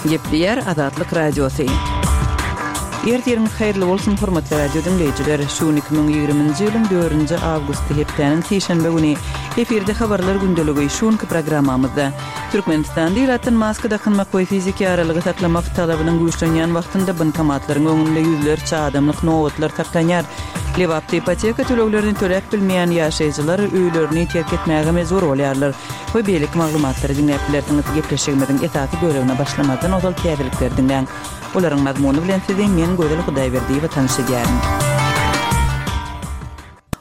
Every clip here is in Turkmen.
Gepleýär Azatlyk Radiosy. Ertiriňiz haýyrly bolsun, hormatly radio diňleýjiler! Şu gün 2020-nji ýylyň dördünji awgusty, hepdäniň sişenbe güni. Efirde Habarlar gündeligi. Şu günki programmamyzda, Türkmenistanda ilatdan maska dakynmak we fiziki aralygy saklamak talabynyň güýçlenýän wagtynda bankomatlaryň öňünde ýüzlerçe adamlyk nobatlar saklanýar. Lebapda ipoteka töleglerini töläp bilmeýän ýaşaýjylar öýlerini terk etmäge mejbur bolýarlar we beýleki maglumatlary diňläp bilersiňiz. Gepleşigimiziň esasy bölegine başlamazdan ozal täzelikleri diňläň. Olaryň mazmuny bilen sizi men Gözel Hudaýberdiýewa tanyş edýärin.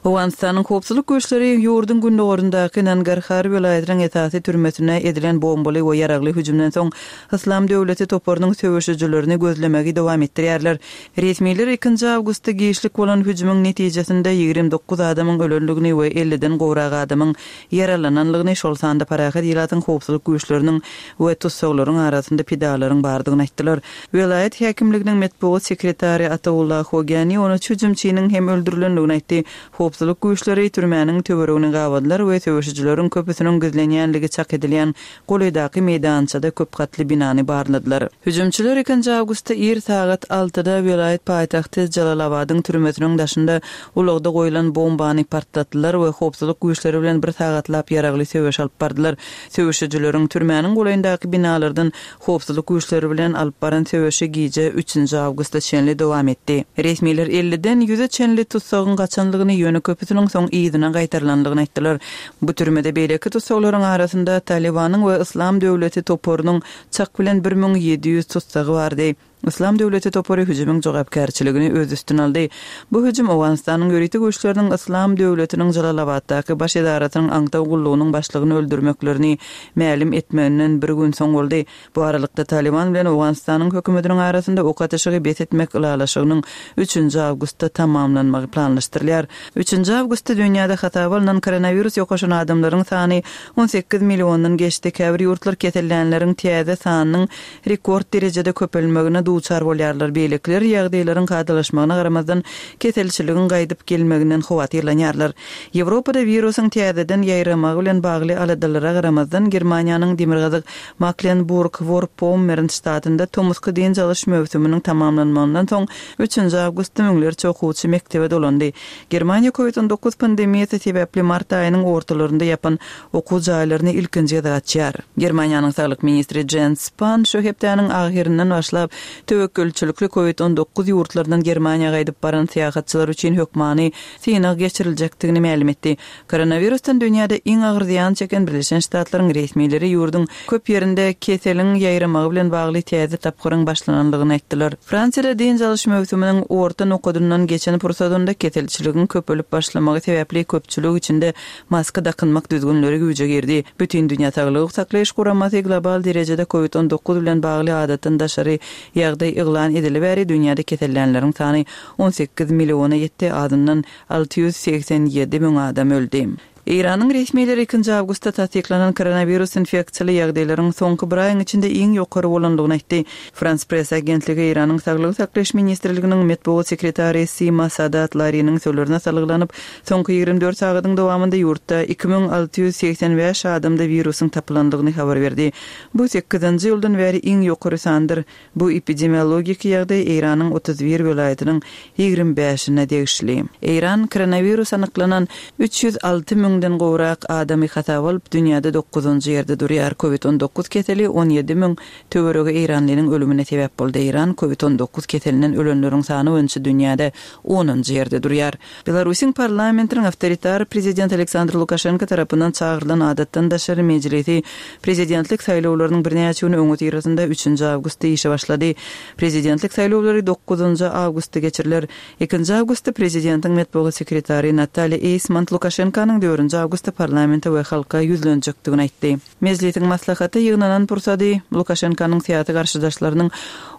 Owganystanyň howpsuzlyk güýçleri ýurduň gündogaryndaky Nangarhar welaýatynyň esasy türmesine edilen bombaly we ýaragly hüjümden soň Yslam döwleti toparynyň söweşijilerini gözlemegi dowam etdirýärler. Resmiler ikinji awgustda giçlik bolan hüjümiň netijesinde 29 adamyň ölendigini we elliden gowrak adamyň ýaralananlygyny, şol sanda parahat ilatyň howpsuzlyk güýçleriniň we tussaglaryň arasynda pidalaryň bardygyny aýtdylar. Welaýat häkimliginiň metbugat sekretary Ataullah Hogyani on üç hüjümçiniň hem öldürilendigini aýtdy. Howpsuzlyk güýçleri türmäniň töweregini gabadylar we söweşijileriň köpüsiniň gizlenýänligi çak edilýän golaýdaky meýdançada köp gatly binany barladylar. Hüjümçiler ikinji awgustda ir sagat altyda welaýat paýtagty Jalalabadyň türmesiniň daşynda ulagda goýlan bombany partlatdylar we howpsuzlyk güýçleri bilen bir sagatlap ýaragly söweş alyp bardylar. Söweşijileriň türmäniň golaýyndaky binalardan Howpsuzlyk güýçleri bilen alyp baran söweşi gije üçünji awgusta çenli dowam etdi. Resmiler elliden ýüze çenli tussagyň gaçanlygyny, ýöne köpüsiniň soň yzyna gaýtarylandygyny aýtdylar. Bu türmede beýleki tussaglaryň arasynda Talybanyň we Yslam döwleti toparynyň çak bilen 1700 tussagy bardy. Yslam döwleti topary hüjümiň jogapkärçiligini öz üstüne aldy. Bu hüjüm Owganystanyň ýörite güýçleriniň Yslam döwletiniň Jalalabatdaky baş edarasynyň aňtaw gullugynyň başlygyny öldürmeklerini mälim etmeginden bir gün soň boldy. Bu aralykda, Talyban bilen Owganystanyň hökümetiniň arasynda ok atyşygy bes etmek ylalaşygynyň üçünji awgustda tamamlanmagy planlaşdyrylýar. Üçünji awgustda dünýäde hasaba alnan koronawirus ýokaşan adamlaryň sany 18 milliondan geçdi. Käbir ýurtlar kesellänleriň täze sanynyň rekord derejede köpelmegine duçar bolýarlar, beýlekiler ýagdaýlaryň kadalaşmagyna garamazdan, keselçiligiň gaýdyp gelmeginden howatyrlanýarlar. Ýewropada wirusyň täzeden ýaýramagy bilen bagly aladalara garamazdan, Germaniýanyň Demirgazyk Maklenburg-Worpommern ştatynda tomusky dynç alyş möwsüminiň tamamlanmagyndan soň, üçünji awgustda müňlerçe okuwçy mekdebe dolandy. Germaniýa Covid 19 pandemiýasy sebäpli mart aýynyň ortalarynda ýapan okuw jaýlaryny ilkinji gezek açýar. Germaniýanyň saglyk ministri Jens Span şu hepdäniň ahyryndan başlap, töwekgelçilikli Covid 19 ýurtlaryndan Germaniýa gaýdyp baran syýahatçylar üçin hökmany synag geçiriljekdigini mälim etdi. Koronawirusdan dünýäde iň agyr zyýan çeken Birleşen Ştatlaryň resmileri ýurduň köp ýerinde keseliň ýaýramagy bilen bagly täze tapgyryň başlanandygyny aýtdylar. Fransiýada dynç alyş möwsüminiň orta nokadyndan geçen pursadynda keselçiligiň köpelip başlamagy sebäpli köpçülik içinde Maska dakynmak düzgünleri güýje girdi. Bütindünýä Saglygy Saklaýyş Guramasy global derejede Covid 19 bilen bagly adatdan daşary ýagdaý yglan edeli bäri dünýäde kesellänleriň sany 18 milliona ýetdi, azyndan 687 müň adam öldi. Eýranyň resmileri ikinji awgustda tassyklanan koronawirus infeksiýaly ýagdaýlaryň soňky bir aýyň içinde iň ýokary bolandygyny aýtdy. Frans Press agentligi Eýranyň Saglygy saklaýyş ministrliginiň metbugat sekretary Sima Sadat Lariniň sözlerine salgylanyp, Soňky 24 sagadyň dowamynda ýurtda 2685 adamda wirusyň tapylandygyny habar berdi. Bu sekizinji ýyldan bäri iň ýokary sandyr. Bu epidemiologik ýagdaý Eýranyň 31 welaýatynyň 25-ine degişli. Eýran koronawirus anyklanan 306 müňden gowrak adamy hasaba alyp, dünýäde dokuzynjy ýerde durýar. Covid 19 keseli 17 müň töweregi eýranlynyň ölümine sebäp boldy. Eýran Covid 19 keselinden ölenleriň sany boýunça dünýäde onunjy ýerde durýar. Belarusyň parlamentiniň awtoritar prezident Aleksandr Lukaşenko tarapyndan çagyrylan adatdan daşary mejlisi prezidentlik saýlawlarynyň birnäçe gün öňüsyrasynda üçünji awgustda işe başlady. Prezidentlik saýlawlary dokuzynjy awgustda geçiriler. Ikinji awgustda prezidentiň metbugat sekretary Natalýa Eýsmont Lukaşenkonyň dördünji awgustda parlamente we halka ýüzlenjekdigini aýtdy. Mejlisiň maslahata ýygnanan pursady, Lukaşenkonyň syýasy garşydaşlarynyň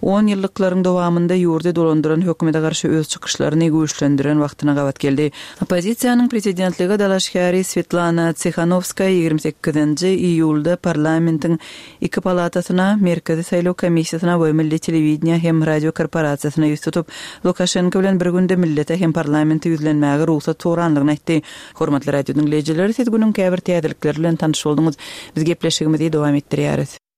on ýyllyklaryň dowamynda ýurdy dolandyran hökümete garşy öz çykyşlaryny güýçlendiren wagtyna gabat geldi. Oppozisiýanyň prezidentlige dalaşgäri Swetlana Tsihanowskaýa 28-nji iýulda parlamentiň iki palatasyna, Merkezi saýlaw komissiýasyna we Milli telewideniýe hem radio korporasiýasyna ýüz tutup, Lukaşenko bilen bir günde millete hem parlamente ýüzlenmäge rugsat soranlygyny aýtdy. Hormatly radio diňleýjiler, siz günüň käbir täzelikleri bilen tanyş bolduňyz. Biz gepleşigimizi dowam etdirýäris.